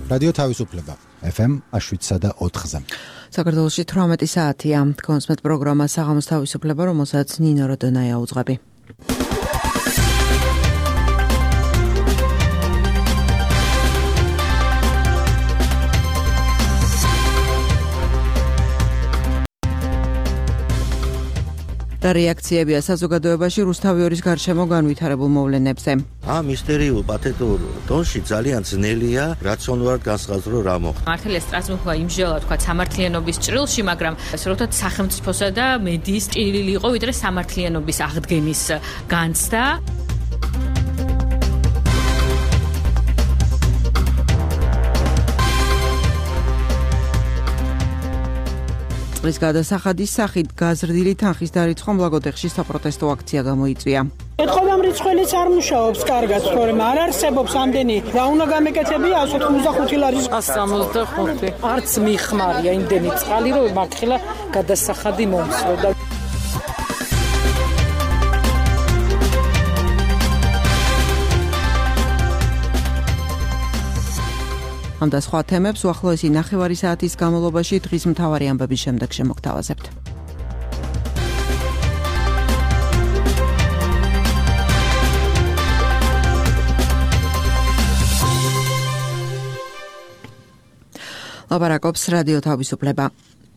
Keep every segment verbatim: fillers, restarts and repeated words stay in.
რადიო თავისუფლება ეფ ემ შვიდსა და ოთხზე. საქართველოში თვრამეტი საათია. კონსმეთ პროგრამა საღამოს თავისუფლება, რომელსაც ნინო როდონაია უძღვები. და რეაქციებია საზოგადოებაში რუსთავიორის გარშემო განვითარებულ მოვლენებზე. ამ მისტერიულ პათეტურ დონში ძალიან ძნელია რაციონალურად განსაზღვრო რა მოხდა. მართალია სტრასბურგმა იმჟელა თქვა სამართლიანობის ჭრილში, მაგრამ ასე ვთქვათ სახელმწიფოსა და მედიის ჭრილი იყო ვიდრე სამართლიანობის აღდგენის განცდა. წლის გადასახადის სახით გაზრდილი თანხის დარიცხვა მლაგოდეხში საპროტესტო აქცია გამოიწვია. ეთყობამ რიცხველიც არ მუშაობს კარგად, თორემ არ არსებობს ამდენი რა უნდა გამეკეთებია ას ოცდახუთი ლარის ას სამოცდახუთი. არც მიხმარია იმდენი წყალი, რომ მართლა გადასახადი მომცრო და ამ და სხვა თემებს უახლოესი ნახევარი საათის განმავლობაში დღის მთავარი ამბების შემდეგ შემოგთავაზებთ. ლაპარაკობს რადიო თავისუფლება.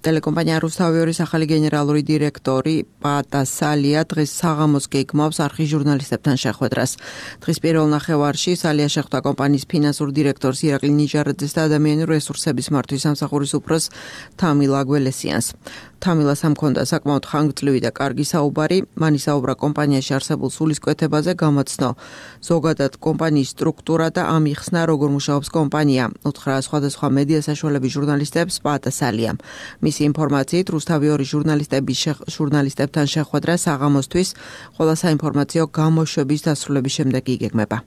ტელეკომპანია რუსთავიორის ახალი გენერალური დირექტორი პატა სალია დღეს საღამოს გეგმავს არხის ჟურნალისტებთან შეხვედრას. დღის პირველ ნახევარში სალია შეხვდა კომპანიის ფინანსურ დირექტორს ირაკლი ნიჟარაძეს და ადამიანური რესურსების მართვის სამსახურის უფროს თამილ აგველესიანს. თამილას ამ ჰქონდა საკმაოდ ხანგრძლივი და კარგი საუბარი, მან ისაუბრა კომპანიაში არსებულ სულისკვეთებაზე, გამოცნო ზოგადად კომპანიის სტრუქტურა და ამიხსნა როგორ მუშაობს კომპანია. უთხრა სხვადასხვა მედია საშუალების ჟურნალისტებს პატა სალიამ. მისი ინფორმაციით რუსთავიორის ჟურნალისტების ჟურნალისტებთან შეხვედრა საღამოსთვის ყველა საინფორმაციო გამოშვების დასრულების შემდეგ იგეგმება.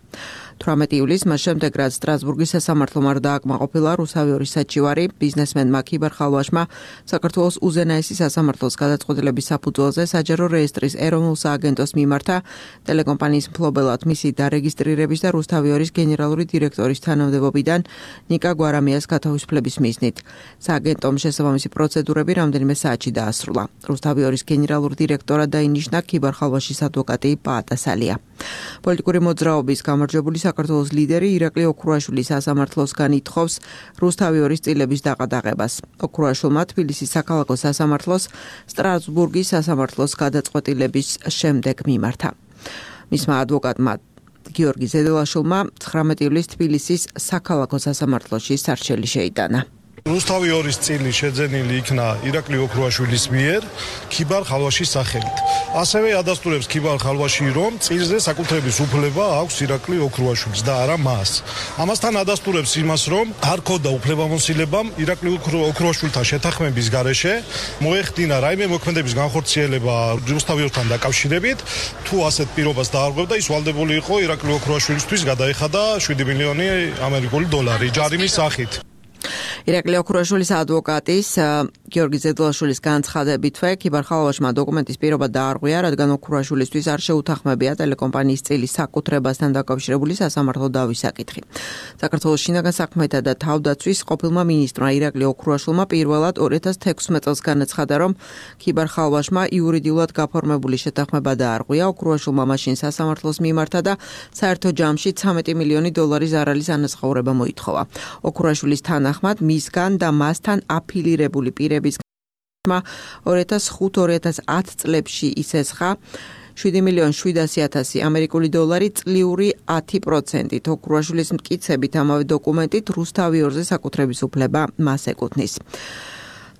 თვრამეტი ივლისს მას შემდეგ რაც სტრასბურგის სასამართლომ არ დააკმაყოფილა რუსთავიორის საჩივარი, ბიზნესმენმა ქიბარ ხალვაშმა საქართველოს უზენაესი სასამართლოს გადაწყვეტილების საფუძველზე საჯარო რეესტრის ეროვნულ სააგენტოს მიმართა ტელეკომპანიის მფლობელად მისი დარეგისტრირების და რუსთავიორის გენერალური დირექტორის თანამდებობიდან ნიკა გვარამიას გათავისუფლების მიზნით. სააგენტომ შესაბამისი პროცედურები რამდენიმე საათში დაასრულა. რუსთავიორის გენერალურ დირექტორად დაინიშნა ქიბარ ხალვაშის ადვოკატი პაატა სალია. პოლიტიკური მოძრაობის გამარჯვებული საქართველოს ლიდერი ირაკლი ოქრუაშვილი სასამართლოსგან ითხოვს რუსთავიორის წილების დაყადაღებას. ოქრუაშვილმა თბილისის საქალაქო სასამართლოს სტრასბურგის სასამართლოს გადაწყვეტილების შემდეგ მიმართა. მისმა ადვოკატმა გიორგი ზედელაშვილმა ცხრამეტი ივლისს თბილისის საქალაქო სასამართლოში სარჩელი შეიტანა. რუსთავიორის წილი შეძენილი იქნა ირაკლი ოქრუაშვილის მიერ ქიბარ ხალვაშის სახელით. ასევე ადასტურებს ქიბარ ხალვაში, რომ წილზე საკუთრების უფლება აქვს ირაკლი ოქრუაშვილს და არა მას. ამასთან ადასტურებს იმას, რომ არ ქონდა უფლებამოსილებამ ირაკლი ოქრუაშვილთან შეთანხმების გარეშე მოეხდინა რაიმე მოქმედების განხორციელება რუსთავიორთან დაკავშირებით. თუ ასეთ პირობას დაარღვევდა, ის ვალდებული იყო ირაკლი ოქრუაშვილისთვის გადაეხადა შვიდი მილიონი ამერიკული დოლარი ჯარიმის სახით. ირაკლი ოქრუაშვილის ადვოკატის გიორგი ზედელაშვილის განცხადებითვე ქიბარ ხალვაშმა დოკუმენტის პირობა დაარღვია, რადგან ოქრუაშვილისთვის არ შეუთანხმებია ტელეკომპანიის წილის საკუთრებასთან დაკავშირებული სასამართლო დავის საკითხი. საქართველოს შინაგან საქმეთა და თავდაცვის ყოფილმა მინისტრმა ირაკლი ოქრუაშვილმა პირველად ორი ათას თექვსმეტ წელს განაცხადა, რომ ქიბარ ხალვაშმა იურიდიულად გაფორმებული შეთანხმება დაარღვია. ოქრუაშვილმა მაშინ სასამართლოს მიმართა და საერთო ჯამში ცამეტი მილიონი დოლარის ზარალის ანაზღაურება მოითხოვა. ოქრუაშვილის თანახმად მისგან და მასთან აფილირებული პირების ორი ათას ხუთი ორი ათას ათი წლებში ისესხა შვიდი მილიონი შვიდასი ათასი ამერიკული დოლარი წლიური ათი პროცენტით. ოქრუაშვილის მტკიცებით ამავე დოკუმენტით რუსთავიორზე საკუთრების უფლება მას ეკუთვნის.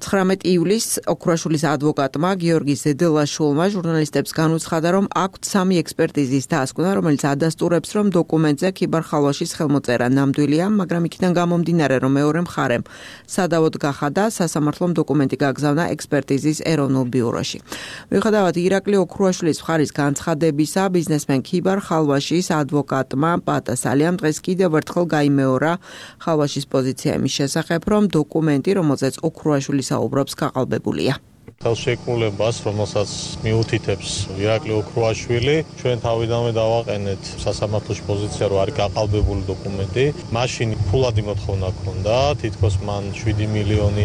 ცხრამეტი ივლისს ოქრუაშვილის ადვოკატმა გიორგი ზედელაშვილმა ჟურნალისტებს განუცხადა, რომ აქვთ სამი ექსპერტიზის დასკვნა, რომელიც ადასტურებს, რომ დოკუმენტზე ქიბარ ხალვაშის ხელმოწერა ნამდვილია, მაგრამ იქიდან გამომდინარე, რომ მეორე მხარემ სადავოდ გახადა, სასამართლომ დოკუმენტი გაგზავნა ექსპერტიზის ეროვნულ ბიუროში. მიუხედავად ირაკლი ოქრუაშვილის მხარის განცხადებისა, ბიზნესმენ ქიბარ ხალვაშის ადვოკატმა პაატა სალიამ დღეს კიდევ ერთხელ გაიმეორა ხალვაშის პოზიცია იმის შესახებ, რომ დოკუმენტი, რომელზეც ოქრუაშვილი საუბრობს, გაყალბებულია. ხელშეკრულებას, რომელსაც მიუთითებს ირაკლი ოქრუაშვილი, ჩვენ თავიდანვე დავაყენეთ სასამართლოში პოზიცია, რომ არის გაყალბებული დოკუმენტი. მაშინ ფულადი მოთხოვნა ჰქონდა, თითქოს მან შვიდი მილიონი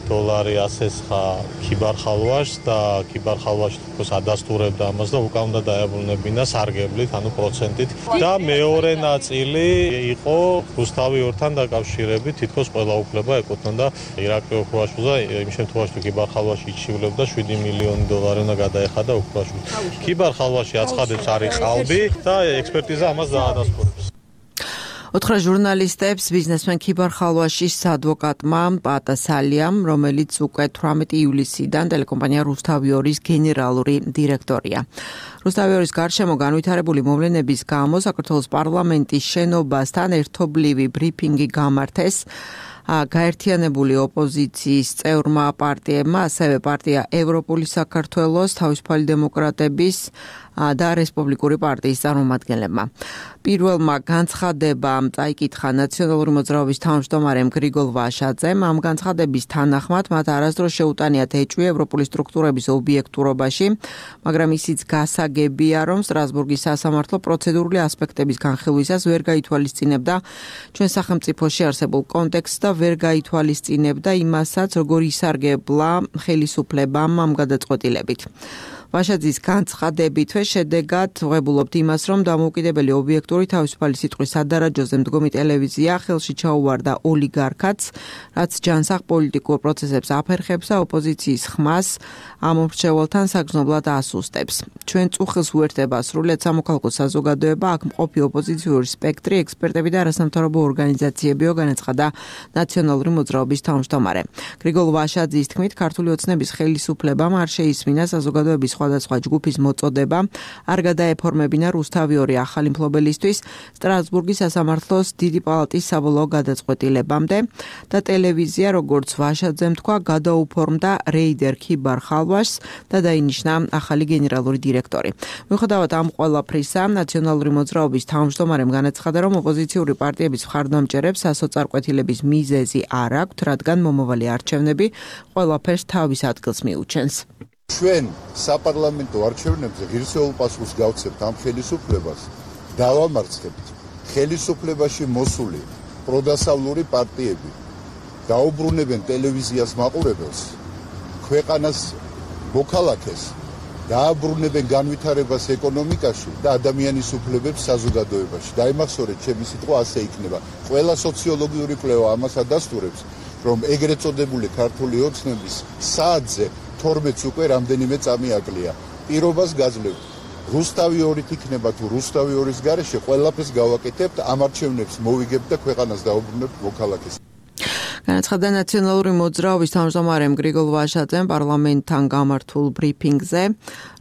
დოლარი ასესხა ქიბარხალვაშს და ქიბარხალვაში თითქოს ადასტურებდა ამას და უკან უნდა დაებრუნებინა სარგებლით, ანუ პროცენტით. და მეორე ნაწილი იყო რუსთავი ორთან დაკავშირებით, თითქოს ყველა უფლება ეკუთვნოდა ირაკლი ოქრუაშვილს და იმ შემთხვევაში თუ ქიბარხალვაში იჩივლებდა შვიდი მილიონი დოლარი უნდა გადაეხადა ოქრუაშვილს. ქიბარხალვაში აცხადებს არის ყალბი და ექსპერტიზა ამას დაადასტურებს. ოთხრა ჟურნალისტებს ბიზნესმენ ქიბარხალვაშის ადვოკატმა პატასალიამ, რომელიც უკვე თვრამეტი ივლისიდან ტელეკომპანია რუსთავი ორის გენერალური დირექტორია. რუსთავი ორის გარშემო განვითარებული მოვლენების გამო საქართველოს პარლამენტის შენობასთან ერთობლივი ბრიფინგი გამართეს. გაერთიანებული ოპოზიციის წევრმა პარტიებმა, ასევე პარტია ევროპული საქართველოს, თავისუფალი დემოკრატების და რესპუბლიკური პარტიის წარმომადგენლებმა. პირველმა განცხადებამ წაიკითხა ნაციონალური მოძრაობის თავმჯდომარემ გრიგოლ ვაშაძემ. ამ განცხადების თანახმად მათ არასდროს შეუტანიათ ეჭვი ევროპული სტრუქტურების ობიექტურობაში, მაგრამ ისიც გასაგებია, რომ სტრასბურგის სასამართლო პროცედურული ასპექტების განხილვისას ვერ გაითვალისწინებდა ჩვენ სახელმწიფოში არსებულ კონტექსტს და ვერ გაითვალისწინებდა იმასაც, როგორ ისარგებლა ხელისუფლებამ ამ გადაწყვეტილებით. ვაშაძის განცხადებითვე შედეგად ვღებულობთ იმას, რომ დამოუკიდებელი ობიექტური თავისუფალი სიტყვის სადარაჯოზე მდგომი ტელევიზია ხელში ჩაუვარდა ოლიგარქატს, რაც ჯანსაღ პოლიტიკურ პროცესებს აფერხებს და ოპოზიციის ხმას ამ მრჩეველთან საგრძნობლად ასუსტებს. ჩვენ წუხილს უერთდება სრულიად სამოქალაქო საზოგადოება, აქ მყოფი ოპოზიციური სპექტრი, ექსპერტები და არასამთავრობო ორგანიზაციებიო, განაცხადა ნაციონალური მოძრაობის თავმჯდომარე. გრიგოლ ვაშაძის თქმით, ქართული ოცნების ხელისუფლებამ არ შეისმინა საზოგადოების სხვადასხვა ჯგუფის მოწოდება, არ გადაეფორმებინა რუსთავი ორი ახალი მფლობელისთვის სტრასბურგის სასამართლოს დიდი პალატის საბოლოო გადაწყვეტილებამდე და ტელევიზია, როგორც ვაშაძემ თქვა, გადაუფორმდა რეიდერ ქიბარხალვაშს და დაინიშნა ახალი გენერალური დირექტორი. მიუხედავად ამ ყველაფრისა, ნაციონალური მოძრაობის თავმჯდომარემ განაცხადა, რომ ოპოზიციური პარტიების მხარდამჭერებს სასოწარკვეთილების მიზეზი არ აქვთ, რადგან მომავალი არჩევნები ყველაფერს თავის ადგილს მიუჩენს. ჩვენ საპარლამენტო არჩევნებზე ღირსეულ პასუხს გავცემთ ამ ხელისუფლებას, დავამარცხებთ ხელისუფლებაში მოსული პროდასავლური პარტიები დაუბრუნებენ ტელევიზიას მაყურებელს, ქვეყანას მოქალაქეს, დააბრუნებენ განვითარებას ეკონომიკაში და ადამიანის უფლებებს საზოგადოებაში. დაიმახსოვრეთ, ჩემი სიტყვა ასე იქნება. ყველა სოციოლოგიური კვლევა ამას ადასტურებს, რომ ეგრეთ წოდებული ქართული ოცნების საათზე თორმეტს უკვე რამდენიმე წამი აკლია. პირობას გაძლევთ. რუსთავი ორით იქნება თუ რუსთავი ორის გარეშე ყველაფერს გავაკეთებთ, ამ არჩევნებს მოვიგებთ და ქვეყანას დაუბრუნებთ მოქალაქეს. განაცხადა ნაციონალური მოძრაობის თავმჯდომარემ გრიგოლ ვაშაძემ პარლამენტთან გამართულ ბრიფინგზე.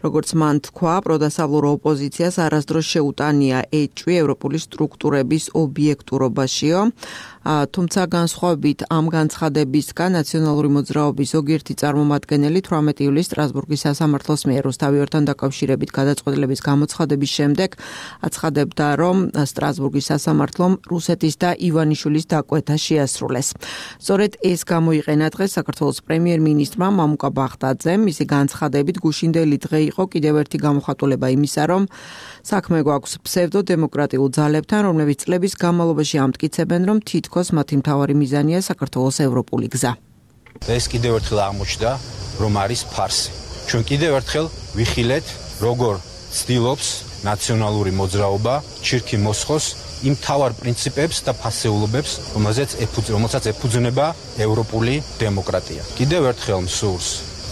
როგორც მან თქვა, პროდასავლურ ოპოზიციას არასდროს შეუტანია ეჭვი ევროპული სტრუქტურების ობიექტურობაშიო. თუმცა განსხვავებით ამ განცხადებისგან ნაციონალური მოძრაობის ზოგიერთი წარმომადგენელი თვრამეტი ივლისს სტრასბურგის სასამართლოს მიერ რუსთავი ორთან დაკავშირებით გადაწყვეტილების გამოცხადების შემდეგ აცხადებდა, რომ სტრასბურგის სასამართლომ რუსეთის და ივანიშვილის დაკვეთა შეასრულეს. სწორედ ეს გამოიყენა დღეს საქართველოს პრემიერ-მინისტრმა მამუკა ბახტაძემ. მისი განცხადებით გუშინდელი დღე იყო კიდევ ერთი გამოხატულება იმისა, რომ საქმე გვაქვს ფსევდო-დემოკრატიულ ძალებთან, რომლებიც წლების განმავლობაში ამტკიცებენ, რომ თითქოს მათი მთავარი მიზანია საქართველოს ევროპული გზა. ეს კიდევ ერთხელ აღმოჩნდა, რომ არის ფარსი. ჩვენ კიდევ ერთხელ ვიხილეთ, როგორ ცდილობს ნაციონალური მოძრაობა ჩირქი მოსხოს იმ თავარ პრინციპებს და ფასეულობებს, რომელსაც ეფუძნება ევროპული დემოკრატია. კიდევ ერთხელ მსურს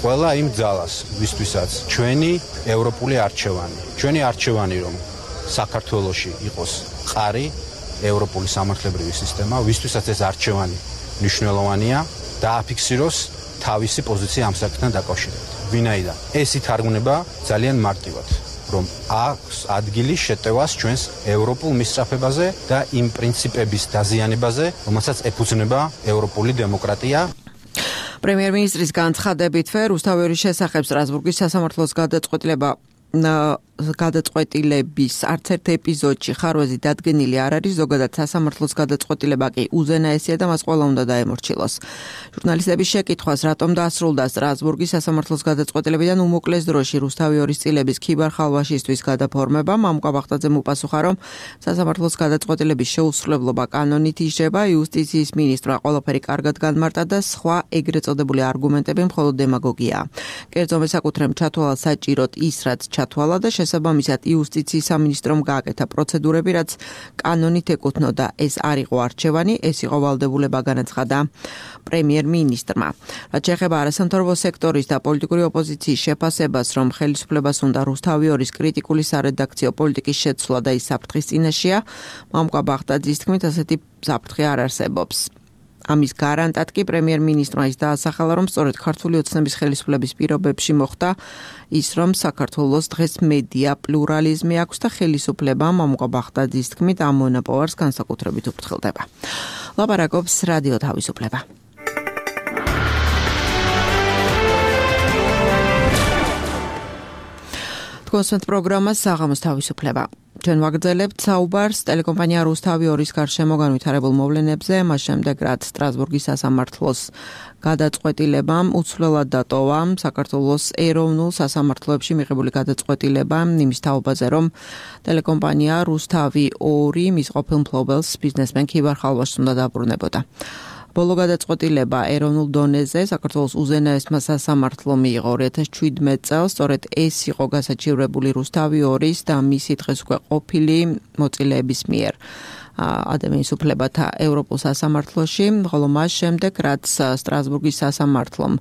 ყველა იმ ძალას, ვისთვისაც ჩვენი ევროპული არჩევანი, ჩვენი არჩევანი რომ საქართველოში იყოს ყარი ევროპული სამართლებრივი სისტემა, ვისთვისაც ეს არჩევანი მნიშვნელოვანია, დააფიქსიროს თავისი პოზიცია ამ საკითხთან დაკავშირებით. ვინაიდან ეს ითარგმნება ძალიან მარტივად, რომ აქვს ადგილი შეტევას ჩვენს ევროპულ მისწრაფებაზე და იმ პრინციპების დაზიანებაზე, რომელსაც ეფუძნება ევროპული დემოკრატია. პრემიერ-მინისტრის განცხადებითვე რუსთავი ორის შესახებ სტრასბურგის სასამართლოს გადაწყვეტილება გადაწყვეტილების არც ერთ ეპიზოდში ხარვეზი დადგენილი არ არის, ზოგადად სასამართლოს გადაწყვეტილება კი უზენაესია და მას ყველა უნდა დაემორჩილოს. ჟურნალისტების შეკითხვას, რატომ დაასრულდა სტრასბურგის სასამართლოს გადაწყვეტილებიდან უმოკლეს დროში რუსთავი ორის წილების ქიბარ-ხალვაშისთვის გადაფორმება, მამუკა ბახტაძემ უპასუხა, რომ სასამართლოს გადაწყვეტილების შეუსრულებლობა კანონით ისჯება, იუსტიციის მინისტრმა ყველაფერი კარგად განმარტა და სხვა ეგრეთ წოდებული არგუმენტები მხოლოდ დემაგოგიაა. კერძო მესაკუთრემ ჩათვალა საჭიროდ ის, რაც ჩათვალა და შესაბამისად იუსტიციის სამინისტრომ გააკეთა პროცედურები, რაც კანონით ეკუთვნოდა. ეს არ იყო არჩევანი, ეს იყო ვალდებულება, განაცხადა პრემიერ-მინისტრმა. რაც შეეხება არასამთავრობო სექტორის და პოლიტიკური ოპოზიციის შეფასებას, რომ ხელისუფლებას უნდა რუსთავი ორის კრიტიკული სარედაქციო პოლიტიკის შეცვლა და ის საფრთხის წინაშეა, მამუკა ბახტაძის თქმით, ასეთი საფრთხე არ არსებობს. ამის გარანტად კი პრემიერ-მინისტრმა ის დაასახელა, რომ სწორედ ქართული ოცნების ხელისუფლების პირობებში მოხდა ის, რომ საქართველოს დღეს მედია პლურალიზმი აქვს და ხელისუფლება, მამუკა ბახტაძის თქმით, ამ მონოპოვარს განსაკუთრებით უფრთხილდება. ლაპარაკობს რადიო თავისუფლება. თქვენს პროგრამას საღამოს თავისუფლება. ჩვენ ვაგრძელებთ საუბარს ტელეკომპანია რუსთავი ორის გარშემო განვითარებულ მოვლენებზე, მას შემდეგ რაც სტრასბურგის სასამართლოს გადაწყვეტილებამ უცვლელად დატოვა საქართველოს ეროვნულ სასამართლოებში მიღებული გადაწყვეტილება იმის თაობაზე, რომ ტელეკომპანია რუსთავი ორი მის ყოფილ მფლობელს ბიზნესმენ ქიბარ-ხალვაშს უნდა დაბრუნებოდა. ბოლო გადაწყვეტილება ეროვნულ დონეზე საქართველოს უზენაესმა სასამართლომ მიიღო ორი ათას შვიდმეტ წელს, სწორედ ეს იყო გასაჩივრებული რუსთავი ორის და მისი დღეს უკვე ყოფილი მოწილეების მიერ ადამიანის უფლებათა ევროპულ სასამართლოში, ხოლო მას შემდეგ, რაც სტრასბურგის სასამართლომ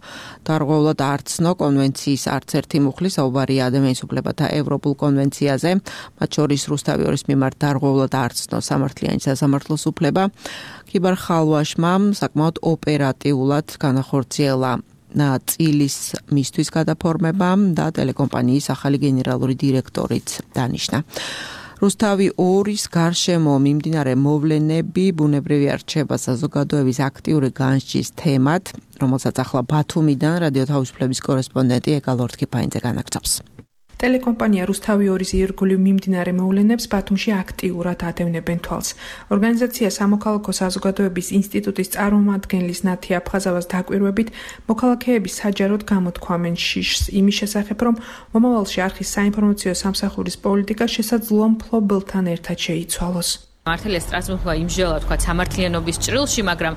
დარღვევლად არცნო კონვენციის არც ერთი მუხლი, საუბარია ადამიანის უფლებათა ევროპულ კონვენციაზე, მათ შორის რუსთავი ორის მიმართ დარღვევლად არცნო სამართლიანი სასამართლოს უფლება, ქიბარ-ხალვაშმა საკმაოდ ოპერატიულად განახორციელა წილის მისთვის გადაფორმება და ტელეკომპანიის ახალი გენერალური დირექტორიც დანიშნა. რუსთავი ორის გარშემო მიმდინარე მოვლენები ბუნებრივი არჩევა საზოგადოების აქტიური განსჯის თემად, რომელსაც ახლა ბათუმიდან რადიო თავისუფლების კორესპონდენტი ეკა ლორთქიფაინძე განაგრძობს. ტელეკომპანია რუსთავი ორის ირგვლივ მიმდინარე მოვლენებს ბათუმში აქტიურად ადევნებენ თვალს. ორგანიზაცია სამოქალაქო საზოგადოების ინსტიტუტის წარმომადგენლის ნათი აფხაზავას დაკვირვებით, მოქალაქეები საჯაროდ გამოთქვამენ შიშს იმის შესახებ, რომ მომავალში არხის საინფორმაციო სამსახურის პოლიტიკა შესაძლოა მფლობელთან ერთად შეიცვალოს. მართალია სტრასბურგმა იმჟელა თქვა სამართლიანობის ჭრილში, მაგრამ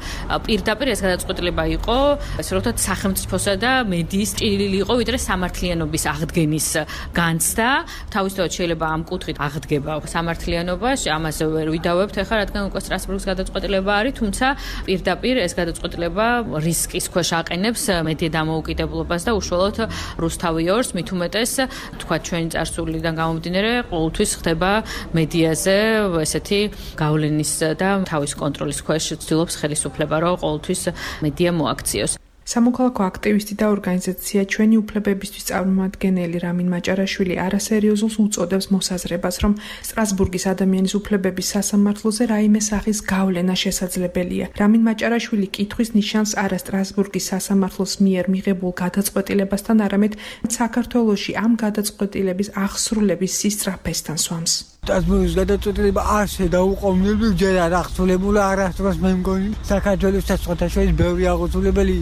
პირდაპირ ეს გადაწყვეტილება იყო, ასე რომ ვთქვათ, სახელმწიფოსა და მედიის ჭრილი იყო, ვიდრე სამართლიანობის აღდგენის განცდა. თავისთავად შეიძლება ამ კუთხით აღდგება სამართლიანობა, ამაზე ვერ ვიდავებთ ახლა, რადგან უკვე სტრასბურგის გადაწყვეტილება არის, თუმცა პირდაპირ ეს გადაწყვეტილება რისკის ქვეშ აყენებს მედია დამოუკიდებლობას და უშუალოდ რუსთავი ორს, მით უმეტეს, თქვა ჩვენი წარსულიდან გამომდინარე, ყოველთვის ხდება მედიაზე ესეთი გავლენის და თავის კონტროლის ქვეშ ცდილობს ხელისუფლება, რომ ყოველთვის მედია მოაქციოს. სამოქალაქო აქტივისტი და ორგანიზაცია ჩვენი უფლებებისთვის წარმომადგენელი რამინ მაჭარაშვილი არასერიოზულს უწოდებს მოსაზრებას, რომ სტრასბურგის ადამიანის უფლებების სასამართლოზე რაიმე სახის გავლენა შესაძლებელია. რამინ მაჭარაშვილი კითხვის ნიშანს არა სტრასბურგის სასამართლოს მიერ მიღებულ გადაწყვეტილებასთან, არამედ საქართველოში ამ გადაწყვეტილების აღსრულების სისწრაფესთან სვამს. სტრასბურგის გადაწყვეტილება არ შედაუყოვნებლივ ჯერ არ აღსრულებულა, არასდროს მე მგონი საქართველოსაც სხვათა შორის ბევრი აღსრულებელი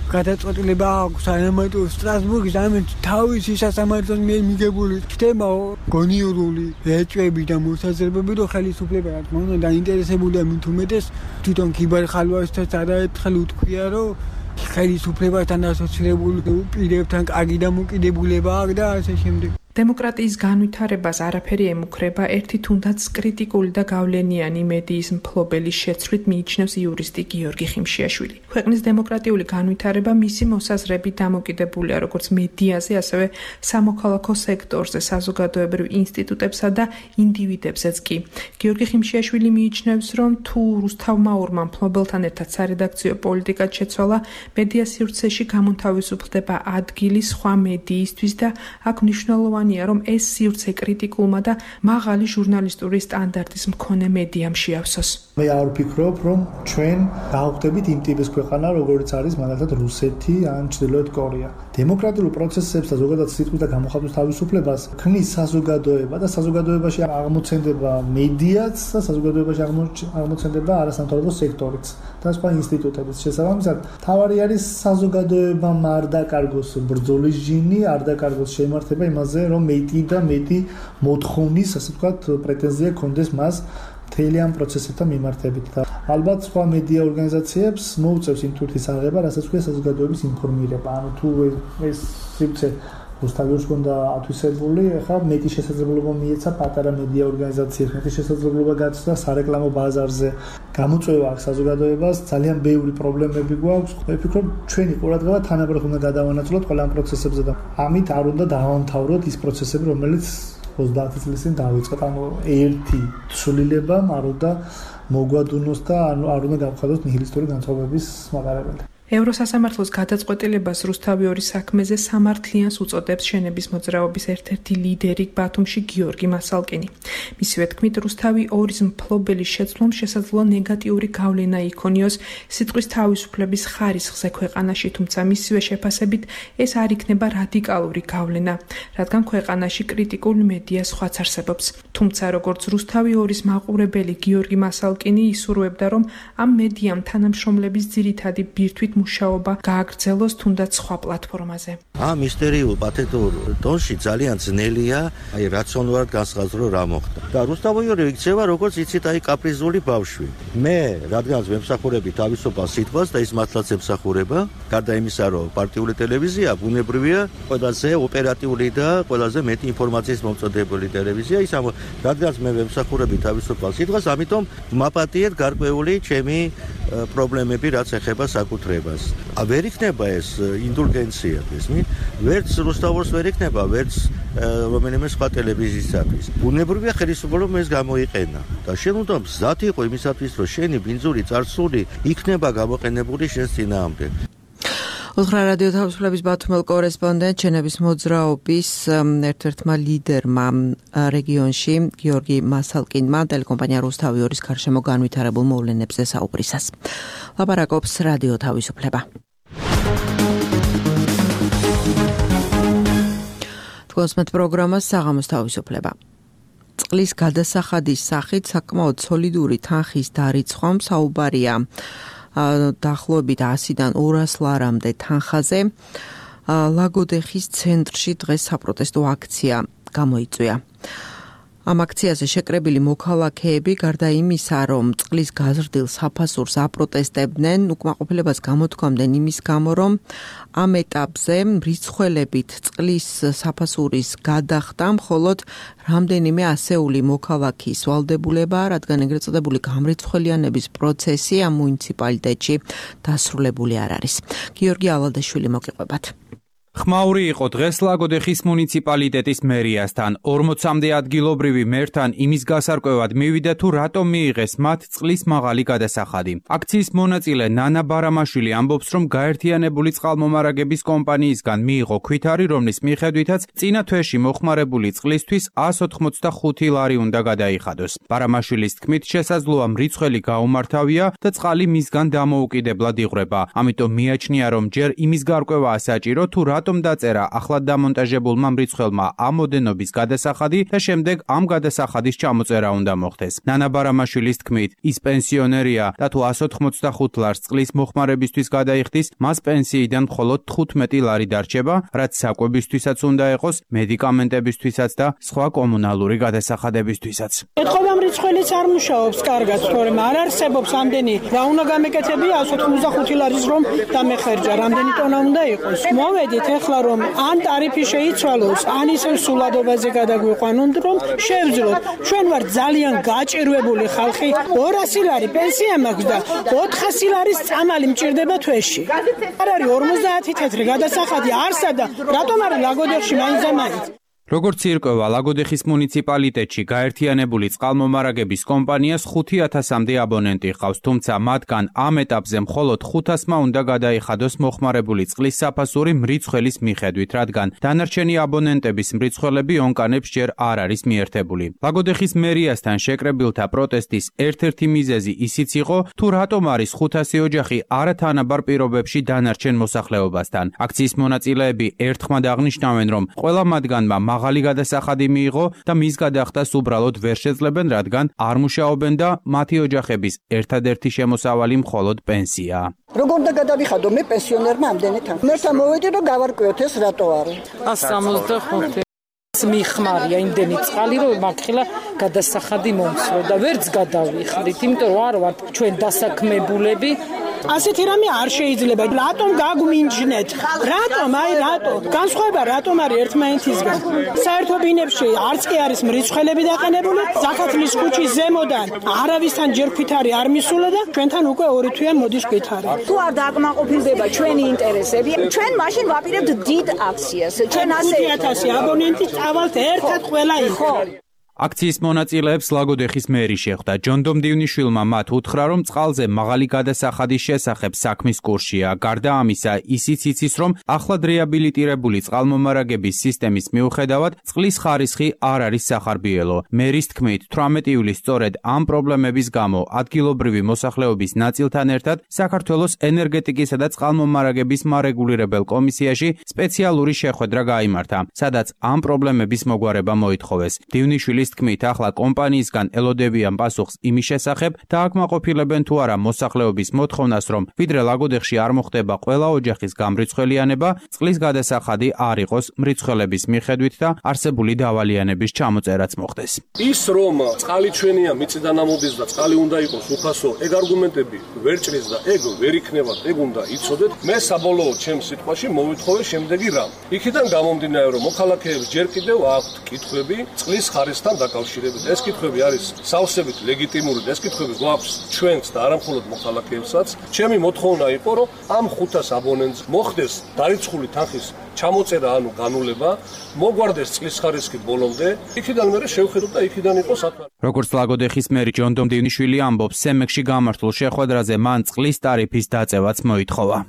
გადაწყვეტილება აქვს, ამიტომ სტრასბურგის ამით თავისი სასამართლოს მიერ მიღებული ხდება გონიურული ეჭვები და მოსაზრებები, რომ ხელისუფლება რა თქმა უნდა დაინტერესებულია მით უმეტეს თვითონ ქიბარ-ხალვაშსაც არაერთხელ უთქვია, რომ ხელისუფლებასთან ასოცირებული პირებთან კარგი დამოკიდებულება აქვს და ასე შემდეგ. დემოკრატიის განვითარებას არაფერი ემუქრება, ერთი თუნდაც კრიტიკული და გავლენიანი მედიის მფლობელის შეცვლით მიიჩნევს იურისტი გიორგი ხიმშიაშვილი. ქვეყნის დემოკრატიული განვითარება მისი მოსაზრებით დამოკიდებულია როგორც მედიაზე, ასევე სამოქალაქო სექტორზე, საზოგადოებრივ ინსტიტუტებსა და ინდივიდებზეც კი. გიორგი ხიმშიაშვილი მიიჩნევს, რომ თუ რუსთავმა ორმა მფლობელთან ერთად სარედაქციო პოლიტიკად შეცვალა, მედია სივრცეში გამონთავისუფლდება ადგილი სხვა მედიისთვის და აქ მნიშვნელოვანი რომ ეს სივრცე კრიტიკულმა და მაღალი ჟურნალისტური სტანდარტის მქონე მედიამ შეავსოს. მე არ ვფიქრობ, რომ ჩვენ გავხდებით იმ ტიპის ქვეყანა, როგორც არის მაგალითად რუსეთი ან ჩრდილოეთ კორეა. დემოკრატიულ პროცესებს და ზოგადად სიტყვის და გამოხატვის თავისუფლებას ქმნის საზოგადოება და საზოგადოებაში აღმოცენდება მედიაც და საზოგადოებაში აღმოცენდება არასამთავრობო სექტორიც და სხვა ინსტიტუტებიც. შესაბამისად, თავარი არის საზოგადოებამ არ დაკარგოს ბრძოლის ჟინი, არ დაკარგოს შემართება იმაზე, რომ მეტი და მეტი მოთხოვნის, ასე ვთქვათ, პრეტენზია კონდეს მას მთელი ამ პროცესებთან მიმართებით და ალბათ სხვა მედია ორგანიზაციებს მოუწევს იმ თურთის აღება, რასაც ქვია საზოგადოების ინფორმირება. ანუ თუ ეს სივრცე რუსთავიურს ჰქონდა ათვისებული, ახლა მეტი შესაძლებლობა მიეცა პატარა მედია ორგანიზაციებს, მეტი შესაძლებლობა გაცდა სარეკლამო ბაზარზე. გამოწვევა აქვს საზოგადოებას, ძალიან ბევრი პრობლემები გვაქვს. მე ვფიქრობ, ჩვენი ყურადღება თანაბრად უნდა გადავანაწილოთ ყველა ამ პროცესებზე და ამით არ უნდა დავამთავროთ ის პროცესები, რომელიც ოცდაათი წლის წინ დავიწყეთ. ანუ ერთი ცვლილებამ არ უნდა მოგვადუნოს და არ უნდა გავხადოთ ნიჰილისტური განწყობების მატარებელი. ევროსასამართლოს გადაწყვეტილებას რუსთავიორის საქმეზე სამართლიანს უწოდებს შენების მოძრაობის ერთ-ერთი ლიდერი ბათუმში გიორგი მასალკინი. მისივე თქმით, რუსთავი ორის მფლობელის შეცვლამ შესაძლოა ნეგატიური გავლენა იქონიოს სიტყვის თავისუფლების ხარისხზე ქვეყანაში, თუმცა მისივე შეფასებით ეს არ იქნება რადიკალური გავლენა, რადგან ქვეყანაში კრიტიკული მედია სხვაც არსებობს. თუმცა როგორც რუსთავი ორის მაყურებელი გიორგი მასალკინი ისურვებდა, რომ ამ მედიამ თანამშრომლების ძირითადი ბირთვით მუშაობა გააგრძელოს თუნდაც სხვა პლატფორმაზე. ამ ისტორიულ პათეტურ დონში ძალიან ძნელია აი რაციონალურად განსაზღვრო რა მოხდა. და რუსთავიორი იქცევა როგორც იცით აი კაპრიზული ბავშვი. მე რადგანაც ვემსახურები თავისუფალ სიტყვას და ის მართლაც ემსახურება, გარდა იმისა რომ პარტიული ტელევიზია ბუნებრივია ყველაზე ოპერატიული და ყველაზე მეტი ინფორმაციის მომწოდებული ტელევიზია, ის ამ რადგანაც მე ვემსახურები თავისუფალ სიტყვას, ამიტომ მაპატიეთ გარკვეული ჩემი პრობლემები რაც ეხება საკუთრებას. ვერ იქნება ეს ინდულგენცია, ესმით? ვერც რუსთავოს ვერ იქნება, ვერც რომელიმე სხვა ტელევიზიისათვის. ბუნებრივია ხელისუფლებამ ეს გამოიყენა და შენ უნდა მზად იყო იმისათვის, რომ შენი ბინძური წარსული იქნება გამოყენებული შენს წინააღმდეგ. უთხრა რადიო თავისუფლების ბათუმელ კორესპონდენტ შენების მოძრაობის ერთ-ერთმა ლიდერმა რეგიონში გიორგი მასალკინმა ტელეკომპანია რუსთავიორის გარშემო განვითარებულ მოვლენებზე საუბრისას. ლაპარაკობს რადიო თავისუფლება. თქვენს პროგრამას საღამოს თავისუფლება. წყლის გადასახადის სახით საკმაოდ სოლიდური თანხის დარიცხვამ საუბარია დაახლოებით ასიდან ორას ლარამდე თანხაზე. ლაგოდეხის ცენტრში დღეს საპროტესტო აქცია გამოიწვია. ამ აქციაზე შეკრებილი მოქალაქეები გარდა იმისა, რომ წყლის გაზრდილ საფასურს აპროტესტებდნენ, უკმაყოფილებას გამოთქვამდნენ იმის გამო, რომ ამ ეტაპზე რიცხველებით წყლის საფასურის გადახდა მხოლოდ რამდენიმე ასეული მოქალაქის ვალდებულება, რადგან ეგრეთ წოდებული გამრიცხველიანების პროცესი ამ მუნიციპალიტეტში დასრულებული არ არის. გიორგი ალადაშვილი მოგიყვებათ. ხმაური იყო დღეს ლაგოდეხის მუნიციპალიტეტის მერიასთან. ორმოცამდე ადგილობრივი მერთან იმის გასარკვევად მივიდა თუ რატომ მიიღეს მათ წყლის მაღალი გადასახადი. აქციის მონაწილე ნანა ბარამაშვილი ამბობს, რომ გაერთიანებული წყალმომარაგების კომპანიისგან მიიღო ქვითარი, რომლის მიხედვითაც წინა თვეში მოხმარებული წყლისთვის ას ოთხმოცდახუთი ლარი უნდა გადაიხადოს. ბარამაშვილის თქმით, შესაძლოა მრიცხველი გაუმართავია და წყალი მისგან დამოუკიდებლად იღვრება. ამიტომ მიაჩნია, რომ ჯერ იმის გარკვევაა საჭირო თუ რატომ დაწერა ახლად დამონტაჟებულმა მრიცხველმა ამ ოდენობის გადასახადი და შემდეგ ამ გადასახადის ჩამოწერა უნდა მოხდეს. ნანა ბარამაშვილის თქმით, ის პენსიონერია და თუ ას ოთხმოცდახუთ ლარს წყლის მოხმარებისთვის გადაიხდის, მას პენსიიდან მხოლოდ თხუთმეტი ლარი დარჩება, რაც საკვებისთვისაც უნდა იყოს, მედიკამენტებისთვისაც და სხვა კომუნალური გადასახადებისთვისაც. ეთხოვა მრიცხველიც არ მუშაობს კარგად, თორემ არ არსებობს ამდენი რა უნდა გამეკეთებია ას ოთხმოცდახუთი ლარის რომ დამეხერჯა, რამდენი ტონა უნდა იყოს. მოვედით ეხლა რომ ან ტარიფი შეიცვალოს, ან ისევ სულადობაზე გადაგვიყვანონ, რომ შევძლოთ. ჩვენ ვართ ძალიან გაჭირვებული ხალხი, ორასი ლარი პენსია მაქვს და ოთხასი ლარის წამალი მჭირდება თვეში. არ არის ორმოცდაათი თეთრი გადასახადი არსა და რატომ არის ლაგოდეხში მაინც და მაინც? როგორც ირკვევა, ლაგოდეხის მუნიციპალიტეტში გაერთიანებული წყალმომარაგების კომპანიას ხუთი ათასამდე აბონენტი ჰყავს, თუმცა მათგან ამ ეტაპზე მხოლოდ ხუთასმა უნდა გადაიხადოს მოხმარებული წყლის საფასური მრიცხველის მიხედვით, რადგან დანარჩენი აბონენტების მრიცხველები ონკანებს ჯერ არ არის მიერთებული. ლაგოდეხის მერიასთან შეკრებილთა პროტესტის ერთ-ერთი მიზეზი ისიც იყო, თუ რატომ არის ხუთასი ოჯახი არათანაბარ პირობებში დანარჩენ მოსახლეობასთან. აქციის მონაწილეები ერთხმად აღნიშნავენ, რომ ყველა მათგანმა მაღალი გადასახადი მიიღო და მის გადახდას უბრალოდ ვერ შეძლებენ, რადგან არ მუშაობენ და მათი ოჯახების ერთადერთი შემოსავალი მხოლოდ პენსიაა. როგორ და გადავიხადო მე პენსიონერმა ამდენი თან. მე სამოვედი რომ გავარკვიოთ ეს რატო არის. ას სამოცდახუთი მიხმარია იმდენი წყალი რომ მაგხილა გადასახადი მომცრო და ვერც გადავიხდით, იმიტომ რომ არ ვართ ჩვენ დასაქმებულები. ასეთი რამე არ შეიძლება. რატომ გაგმინჯნეთ? რატომ? აი რატომ? განსხვავება რატომ არის ერთმანეთისგან? საერთო ბინებში არც კი არის მრიცხველები დაყენებული. ზაქათლის ქუჩის ზემოდან არავისთან ჯერ ქვითარი არ მისულა და ჩვენთან უკვე ორი თვეა მოდის ქვითარი. თუ არ დააკმაყოფილდება ჩვენი ინტერესები, ჩვენ მაშინ ვაპირებთ დიდ აქციას. ჩვენ ასე ხუთი ათასი აბონენტი წავალთ ერთად ყველა იყო. აქციის მონაწილეებს ლაგოდეხის მერი შეხვდა. ჯონდომ დივნიშვილმა მათ უთხრა, რომ წყალზე მაღალი გადასახადის შესახებ საქმის კურსია. გარდა ამისა, ისიც იცის, რომ ახლად რეაბილიტირებული წყალმომარაგების სისტემის მიუხედავად წყლის ხარისხი არ არის სახარბიელო. მერის თქმით, თვრამეტი ივლისს სწორედ ამ პრობლემების გამო ადგილობრივი მოსახლეობის ნაწილთან ერთად საქართველოს ენერგეტიკისა და წყალმომარაგების მარეგულირებელ კომისიაში სპეციალური შეხვედრა გაიმართა, სადაც ამ პრობლემების მოგვარება მოითხოვეს. დივნიშვილის თქმით, ახლა კომპანიისგან ელოდებიან პასუხს იმის შესახებ, დააკმაყოფილებენ თუ არა მოსახლეობის მოთხოვნას, რომ ვიდრე ლაგოდეხში არ მოხდება ყველა ოჯახის გამრიცხველიანება, წყლის გადასახადი არ იყოს მრიცხველების მიხედვით და არსებული დავალიანების ჩამოწერაც მოხდეს. ის რომ წყალი ჩვენია, მიწიდან ამოდის და წყალი უნდა იყოს უფასო, ეგ არგუმენტები ვერ ჭრის და ეგ ვერ იქნება, ეგ უნდა იცოდეთ. მე საბოლოოდ ჩემს სიტყვაში მოვითხოვე შემდეგი რამ. იქიდან გამომდინარე, რომ მოქალაქეებს ჯერ კიდევ აქვთ კითხვები წყლის ხარისხთან დაკავშირებით. ეს კითხვები არის სავსებით ლეგიტიმური და ეს კითხვები გვაქვს ჩვენს და არა მხოლოდ მოქალაქეებსაც. ჩემი მოთხოვნა იყო, რომ ამ ხუთას აბონენტს მოხდეს დარიცხული თანხის ჩამოწერა, ანუ განულება, მოგვარდეს წყლის ხარისხი ბოლომდე. იქიდან მე შევხედოთ და იქიდან იყოს ათვლა. როგორც ლაგოდეხის მერი ჯონდომ დივნიშვილი ამბობს, სემექსში გამართულ შეხვედრაზე მან წყლის ტარიფის დაწევაც მოითხოვა.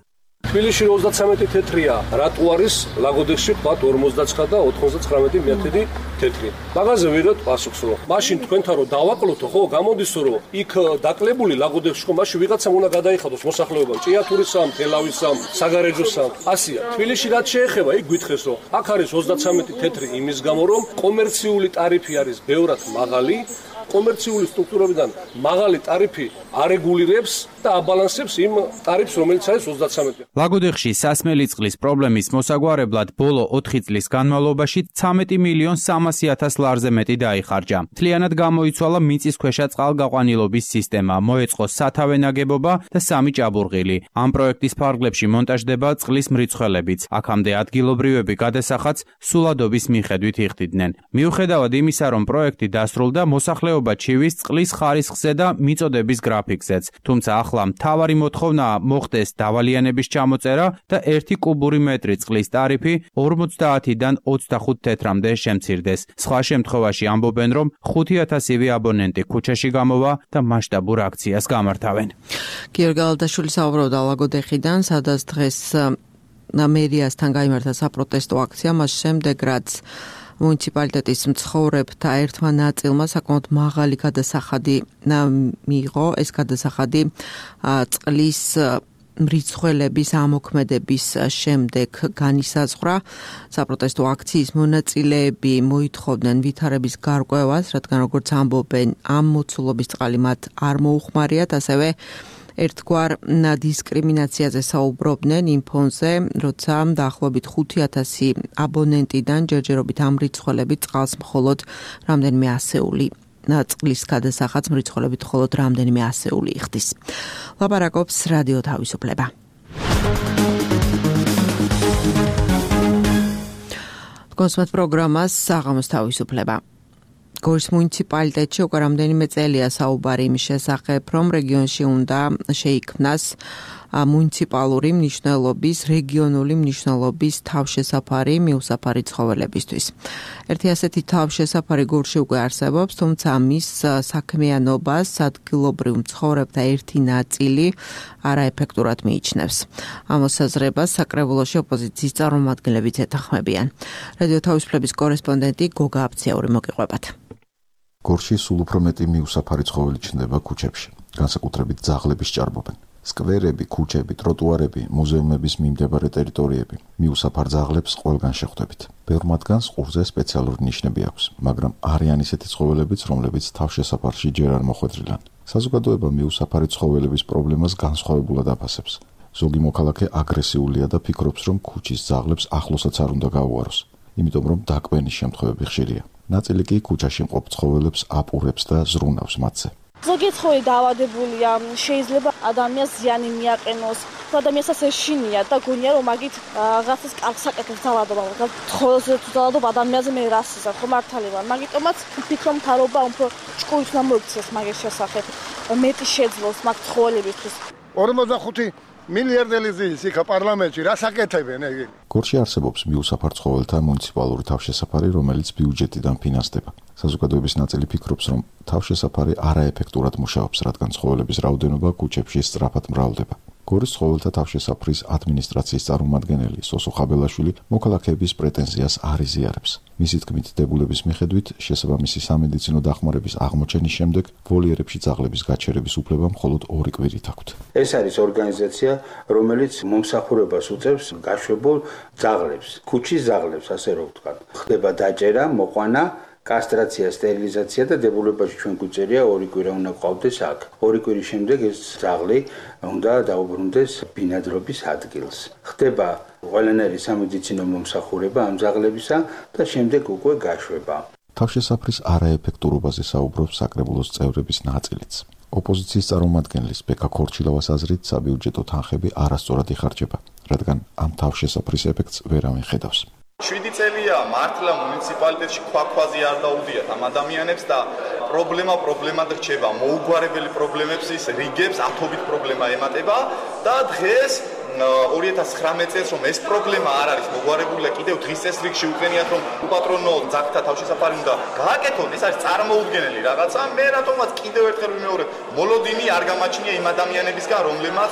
თბილისში ოცდაცამეტი თეთრია, რატო არის ლაგოდეხში ვთქვათ ორმოცდაცხრა და ოთხმოცდათხრამეტი მეათედი თეთრი. მაგაზე ვიღებთ პასუხს, რომ მაშინ თქვენთან რომ დავაკლოთო, ხო, გამოდის რომ იქ დაკლებული ლაგოდეხში ხო, მაშინ ვიღაცამ უნდა გადაიხადოს მოსახლეობამ, ჭიათურისამ, თელავისამ, საგარეჯოსამ. ასია. თბილისში რაც შეეხება, იქ გითხეს, რომ აქ არის ოცდაცამეტი თეთრი იმის გამო, რომ კომერციული ტარიფი არის ბევრად მაღალი. კომერციული სტრუქტურებიდან მაღალი ტარიფი არეგულირებს და აბალანსებს იმ ტარიფს, რომელიც არის ოცდაცამეტი. ლაგოდეხში სასმელი წყლის პრობლემის მოსაგვარებლად ბოლო ოთხი წლის განმავლობაში ცხრამეტი მილიონ სამასი ათას ლარზე მეტი დაიხარჯა. მთლიანად გამოიცვალა მიწისქვეშა წყალგაყვანილობის სისტემა, მოეწყო სათავე ნაგებობა და სამი ჭაბურღილი. ამ პროექტის ფარგლებში მონტაჟდება წყლის მრიცხველებიც. აქამდე ადგილობრივები გადასახადს სულადობის მიხედვით იხდიდნენ. მიუხედავად იმისა, რომ პროექტი დასრულდა, მოსახლეობა ჩივის წყლის ხარისხზე და მიწოდების გრაფიკზეც. თუმცა ახლა მთავარი მოთხოვნაა მოხდეს დავალიანების ჩამოწერა და ერთი კუბური მეტრი წყლის ტარიფი ორმოცდაათიდან ოცდახუთ თეთრამდე შემცირდეს. სხვა შემთხვევაში ამბობენ, რომ ხუთი ათასივე აბონენტი ქუჩაში გამოვა და მასშტაბურ აქციას გამართავენ. გიორგი ალდაშვილი საუბრობდა ლაგოდეხიდან, სადაც დღეს მერიასთან გაიმართა საპროტესტო აქცია, მას შემდეგ რაც მუნიციპალიტეტის მცხოვრებთა ერთმა ნაწილმა საკმაოდ მაღალი გადასახადი მიიღო. ეს გადასახადი წყლის მრიცხველების ამოქმედების შემდეგ განისაზღვრა. საპროტესტო აქციის მონაწილეები მოითხოვდნენ ვითარების გარკვევას, რადგან როგორც ამბობენ, ამ მოცულობის წყალი მათ არ მოუხმარიათ, ასევე ერთგვარ დისკრიმინაციაზე საუბრობდნენ იმ ფონზე, როცა დაახლოებით ხუთი ათასი აბონენტიდან ჯერჯერობით ამ მრიცხველებით წყალს მხოლოდ რამდენიმე ასეული წყლის გადასახადს მრიცხველებით მხოლოდ რამდენიმე ასეული იხდის. ლაპარაკობს რადიო თავისუფლება. კონსუმატ პროგრამას საღამოს თავისუფლება. გორის მუნიციპალიტეტში უკვე რამდენიმე წელია საუბარი იმის შესახებ, რომ რეგიონში უნდა შეიქმნას მუნიციპალური მნიშვნელობის, რეგიონული მნიშვნელობის თავშესაფარი მიუსაფარი ცხოველებისთვის. ერთი ასეთი თავშესაფარი გორში უკვე არსებობს, თუმცა მის საქმიანობას ადგილობრივ მცხოვრებთა ერთი ნაწილი არაეფექტურად მიიჩნევს. ამ მოსაზრებას საკრებულოში ოპოზიციის წარმომადგენლებიც ეთანხმებიან. რადიო თავისუფლების კორესპონდენტი გოგა აბციაური მოგიყვებათ. გორში სულ უფრო მეტი მიუსაფარი ცხოველი ჩნდება ქუჩებში, განსაკუთრებით ძაღლების ჭარბობენ. სკვერები, ქუჩები, ტროტუარები, მუზეუმების მიმდებარე ტერიტორიები მიუსაფარ ძაღლებს ყველგან შეხვდებით. ბევრ მათგანს ყურზე სპეციალური ნიშნები აქვს, მაგრამ არიან ისეთი ცხოველებიც, რომლებიც თავშესაფარში ჯერ არ მოხვედრილან. საზოგადოება მიუსაფარი ცხოველების პრობლემას განსხვავებულად აფასებს. ზოგი მოქალაქე აგრესიულია და ფიქრობს, რომ ქუჩის ძაღლებს ახლოსაც არ უნდა გაუაროს, იმიტომ რომ დაკვენის შემთხვევები ხშირია. ნაწილი კი ქუჩაში მყოფ ცხოველებს აპურებს და ზრუნავს მათზე. ზოგი ცხოველი დაავადებულია, შეიძლება ადამიანს ზიანი მიაყენოს, ადამიანსაც ეშინია და გონია რომ მაგით რაღაცას კარგს აკეთებს ძალადობა, ცხოველზე თუ ძალადობა ადამიანზე მე რას იზარ, ხო მართალია, მაგიტომაც ვფიქრობ მთავრობა უფრო ჭკუით უნდა მოიქცეს მაგის შესახებ, მეტი შეძლოს მაგ ცხოველებისთვის. ორმოცდახუთი მილიარდელი ზის იქ პარლამენტში რას აკეთებენ ეგ? გორში არსებობს მიუსაფარ ცხოველთა მუნიციპალური თავშესაფარი, რომელიც ბიუჯეტიდან ფინანსდება. საზოგადოების ნაწილი ფიქრობს, რომ თავშესაფარი არაეფექტურად მუშაობს, რადგან ცხოველების რაოდენობა ქუჩებში სწრაფად მრავლდება. გორის ცხოველთა თავშესაფრის ადმინისტრაციის წარმომადგენელი სოსო ხაბელაშვილი მოქალაქეების პრეტენზიას არ იზიარებს. მისი თქმით, დებულების მიხედვით, შესაბამისი სამედიცინო დახმარების აღმოჩენის შემდეგ ვოლიერებში ძაღლების გაჩერების უფლება მხოლოდ ორი კვირით აქვთ. ეს არის ორგანიზაცია, რომელიც მომსახურებას უწევს გაშვებულ ძაღლებს, ქუჩის ძაღლებს, ასე რომ ვთქვათ. ხდება დაჭერა, მოყვანა, კასტრაცია, სტერილიზაცია და დებულებაში ჩვენ გვიწერია ორი კვირა უნდა ყავდეს აქ. ორი კვირის შემდეგ ეს ძაღლი უნდა დაუბრუნდეს ბინადრობის ადგილს. ხდება ყველანაირი სამედიცინო მომსახურება ამ ძაღლებისა და შემდეგ უკვე გაშვება. თავშესაფრის არაეფექტურობაზე საუბრობს საკრებულოს წევრების ნაწილიც. ოპოზიციის წარმომადგენლის ბეკა ქორჩილავას აზრით, საბიუჯეტო თანხები არასწორად იხარჯება, რადგან ამ თავშესაფრის ეფექტს ვერავინ ხედავს. შვიდი წელია მართლა მუნიციპალიტეტში ქვაქვაზე არ დაუდიათ ამ ადამიანებს და პრობლემა პრობლემად რჩება, მოუგვარებელი პრობლემებს ის რიგებს ათობით პრობლემა ემატება და დღეს ორი ათას ცხრამეტ წელს რომ ეს პრობლემა არ არის მოგვარებული, კიდევ დღის წეს რიგში უყენიათ რომ უპატრონო ძაღლთა თავშესაფარი უნდა გააკეთონ, ეს არის წარმოუდგენელი რაღაცა. მე რატომაც კიდევ ერთხელ ვიმეორებ, მოლოდინი არ გამაჩნია იმ ადამიანებისგან, რომლებმაც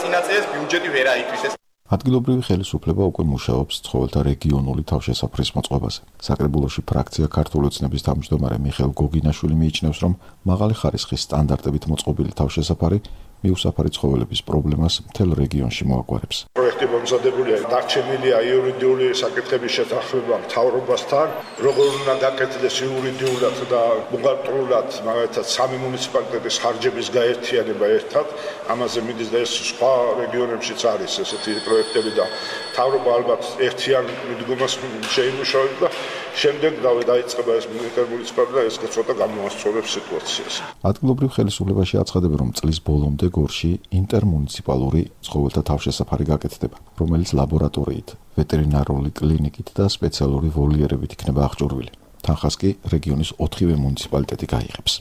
წინა წელს ბიუჯეტი ვერ აითვისეს. ადგილობრივი ხელისუფლება უკვე მუშაობს ცხოველთა რეგიონული თავშესაფრის მოწყობაზე. საკრებულოში ფრაქცია ქართული ოცნების თავმჯდომარე მიხეილ გოგინაშვილი მიიჩნევს, რომ მაღალი ხარისხის სტანდარტებით მოწყობილი თავშესაფარი მიუსაფარი ცხოველების პრობლემას მთელ რეგიონში მოაგვარებს. პროექტი მომზადებულია, დარჩენილია იურიდიული საკითხების შეთანხმება მთავრობასთან, როგორ უნდა გაკეთდეს იურიდიულად და ბუღალტრულად, მაგალითად სამი მუნიციპალიტეტის ხარჯების გაერთიანება ერთად, ამაზე მიდის და ეს სხვა რეგიონებშიც არის ესეთი პროექტები და მთავრობა ალბათ ერთიან მიდგომას შეიმუშავებს და შემდეგ დაიწყება ეს ინტერმუნიციპალური და ეს ცოტა გამოასწორებს სიტუაციას. ადგილობრივ ხელისუფლებაში აცხადებენ, რომ წლის ბოლომდე გორში ინტერმუნიციპალური ცხოველთა თავშესაფარი გაკეთდება, რომელიც ლაბორატორიით, ვეტერინარული კლინიკით და სპეციალური ვოლიერებით იქნება აღჭურვილი. თანხას კი რეგიონის ოთხივე მუნიციპალიტეტი გაიღებს.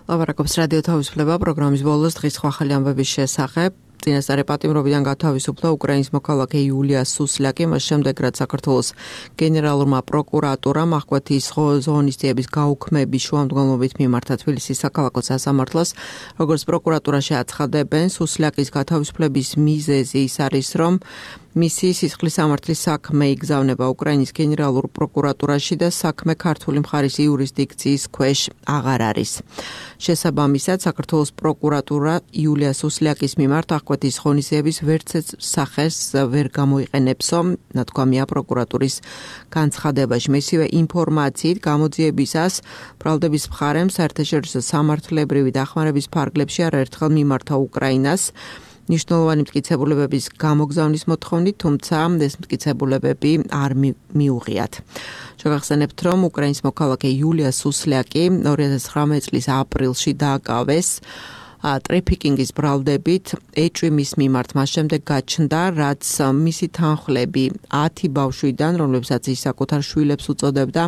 ლაპარაკობს რადიო თავისუფლება პროგრამის ბოლოს დღის ხვალ ამბების შესახებ. წინასწარი პატიმრობიდან გათავისუფლა უკრაინის მოქალაქე იულია სუსლაკი, მას შემდეგ რაც საქართველოს გენერალურმა პროკურატურამ ახკვეთის ღონისძიების გაუქმების შუამდგომლობით მიმართა თბილისის საქალაქო სასამართლოს, როგორც პროკურატურაში აცხადებენ, სუსლაკის გათავისუფლების მიზეზი ის არის, რომ მისი სისხლის სამართლის საქმე იგზავნება უკრაინის გენერალურ პროკურატურაში და საქმე ქართული მხარის იურისდიქციის ქვეშ აღარ არის. შესაბამისად, საქართველოს პროკურატურა იულია სუსლაკის მიმართ ახკვეთის ღონისძიების ვერცერთ სახეს ვერ გამოიყენებსო, ნათქვამია პროკურატურის განცხადებაში. მისივე ინფორმაციით, გამოძიებისას ბრალდების მხარემ საერთაშორისო სამართლებრივი დახმარების ფარგლებში არაერთხელ მიმართა უკრაინას ნიშნულოვანი მტკიცებულებების გამოგზავნის მოთხოვნით, თუმცა ეს მტკიცებულებები არ მიუღიათ. შეგახსენებთ, რომ უკრაინის მოქალაქე იულია სუსლაკი ორი ათას ცხრამეტ წლის აპრილში დააკავეს ტრეფიკინგის ბრალდებით ეჭვი მის მიმართ მას შემდეგ გაჩნდა, რაც მისი თანხლები ათი ბავშვიდან, რომლებსაც ის საკუთარ შვილებს უწოდებდა,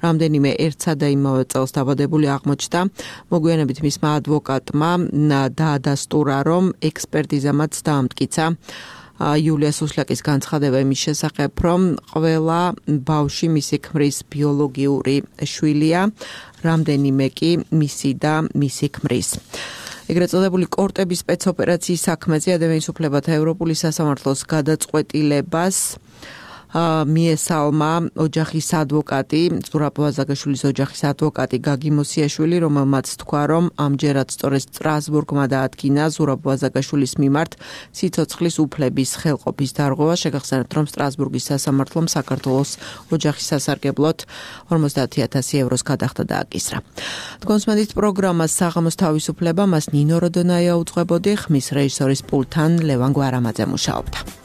რამდენიმე ერთსა და იმავე წელს დაბადებული აღმოჩნდა. მოგვიანებით მისმა ადვოკატმა დაადასტურა, რომ ექსპერტიზა მათ დაამტკიცა იულია სუსლაკის განცხადება იმის შესახებ, რომ ყველა ბავშვი მისი ქმრის ბიოლოგიური შვილია, რამდენიმე კი მისი და მისი ქმრის. ეგრეთ წოდებული კორტების სპეცოპერაციის საქმეზე ადამიანის უფლებათა ევროპული სასამართლოს გადაწყვეტილებას მიესალმა ოჯახის ადვოკატი, ზურაბ ვაზაგაშვილის ოჯახის ადვოკატი გაგი მოსიაშვილი, რომელმაც თქვა, რომ ამჯერად სწორედ სტრასბურგმა დაადგინა ზურაბ ვაზაგაშვილის მიმართ სიცოცხლის უფლების ხელყოფის დარღვევა. შეგახსენებთ, რომ სტრასბურგის სასამართლომ საქართველოს ოჯახის სასარგებლოდ ორმოცდაათი ათასი ევროს გადახდა დააკისრა. თქვენს მედით პროგრამას საღამოს თავისუფლება მას ნინო როდონაია უძღვებოდი, ხმის რეჟისორის პულტთან ლევან გვარამაძე მუშაობდა.